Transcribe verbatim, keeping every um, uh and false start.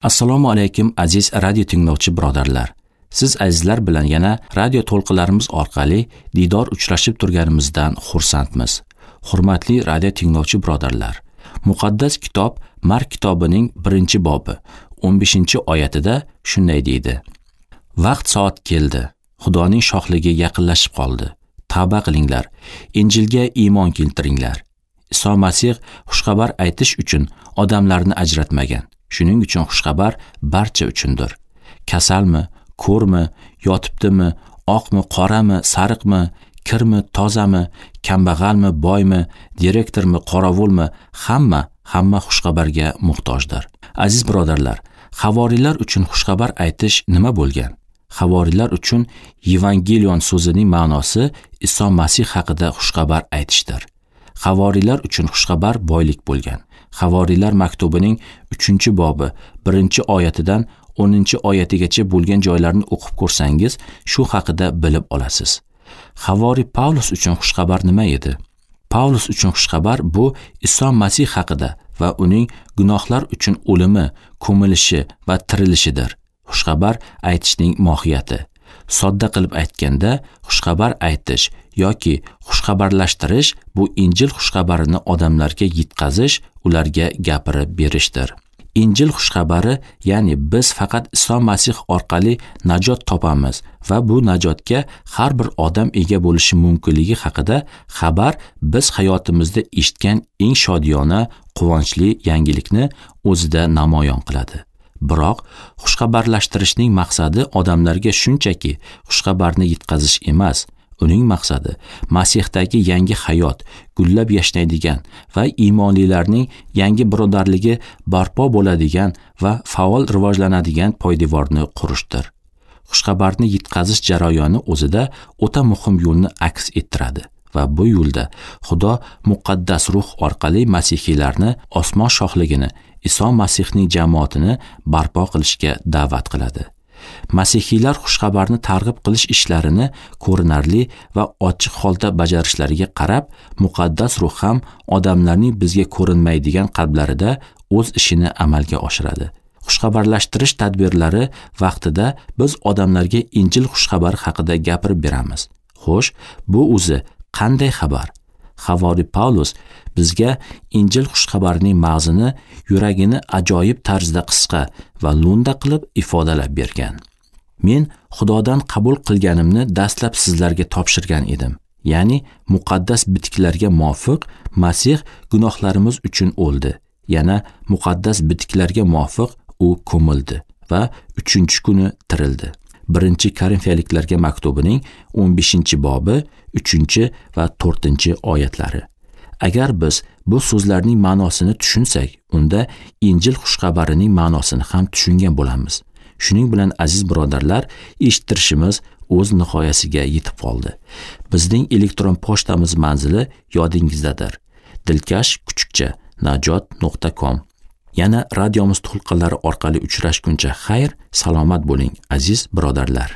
Assalomu alaykum aziz radio tinglovchi birodarlar. Siz azizlar bilan yana radio to'lqinlarimiz orqali diydor uchrashib turganimizdan xursandmiz. Hurmatli radio tinglovchi birodarlar, Muqaddas kitob Mark kitobining birinchi bobi o'n beshinchi oyatida shunday deydi: Vaqt soat keldi. Xudoning shohligi yaqinlashib qoldi. Tavba qilinglar, Injilga iymon keltiringlar. Iso Masih xushxabar aytish uchun odamlarni ajratmagan. Shuning uchun xushxabar barcha uchundir. Kasalmi, ko'rmi, yotibdimi, oqmi, qorami, sariqmi, kirmi, tozami, kambag'almi, boymi, direktormi, qorovulmi, hamma, hamma xushxabarga muhtojdir. Aziz birodarlar, havoriylar uchun xushxabar aytish nima bo'lgan? Havoriylar uchun Yevangelion so'zining ma'nosi Iso Masih haqida xushxabar aytishdir. Havoriylar uchun xushxabar boylik bo'lgan. Havoriylar maktubining uchinchi bobi birinchi oyatidan o'ninchi oyatigacha bo'lgan joylarni o'qib ko'rsangiz, shu haqida bilib olasiz. Havoriy Pavlus uchun xushxabar nima edi? Pavlus uchun xushxabar bu Iso Masih haqida va uning gunohlar uchun o'limi, ko'milishi va tirilishidir. Xushxabar aytishning mohiyati. Sodda qilib aytganda, xushxabar aytish yoki xushxabarlashtirish bu Injil xushxabarini odamlarga yetkazish, ularga gapirib berishdir. Injil xushxabari, ya'ni biz faqat Iso Masih orqali najot topamiz va bu najotga har bir odam ega bo'lishi mumkinligi haqida xabar biz hayotimizda eshitgan eng shodiyona, quvonchli yangilikni o'zida namoyon qiladi. Biroq xushxabarlashtirishning maqsadi odamlarga shunchaki xushxabarni yetkazish emas. Uning maqsadi Masihdagi yangi hayot, gullab yashnaydigan va iymonlilarning yangi birodarligi barpo bo'ladigan va faol rivojlanadigan poydevorni qurishdir. Xushxabarni yetkazish jarayoni o'zida o'ta muhim yo'lni aks ettiradi va bu yo'lda Xudo muqaddas ruh orqali masihiylarni osmon shohligini, Iso Masihning jamoatini barpo qilishga da'vat qiladi. Masihiylar xushxabarni targ'ib qilish ishlarini ko'rinarli va ochiq holda bajarishlariga qarab, muqaddas ruh ham odamlarning bizga ko'rinmaydigan qalblarida o'z ishini amalga oshiradi. Xushxabarlashtirish tadbirlari vaqtida biz odamlarga Injil xushxabari haqida gapirib beramiz. Xo'sh, bu o'zi qanday xabar? Havoriy Pavlus bizga Injil xushxabarining ma'zini, yuragini ajoyib tarzda qisqa va lo'nda qilib ifodalab bergan. Men Xudodan qabul qilganimni dastlab sizlarga topshirgan edim. Ya'ni muqaddas bitiklarga muvofiq Masih gunohlarimiz uchun o'ldi. Yana muqaddas bitiklarga muvofiq u ko'mildi va uchinchi kuni tirildi. Birinchi Korinfiyaliklarga maktubining o'n beshinchi bobi uchinchi va to'rtinchi oyatlari. Agar biz bu so'zlarning ma'nosini tushunsak, unda Injil xushxabarining ma'nosini ham tushungan bo'lamiz. Shuning bilan aziz birodarlar, eshittirishimiz o'z nihoyasiga yetib qoldi. Bizning elektron pochtamiz manzili yodingizdadir. Dilkash kuchukcha najot nuqta com. Yana radiomiz to'lqinlari orqali uchrashguncha xayr, salomat bo'ling aziz birodarlar.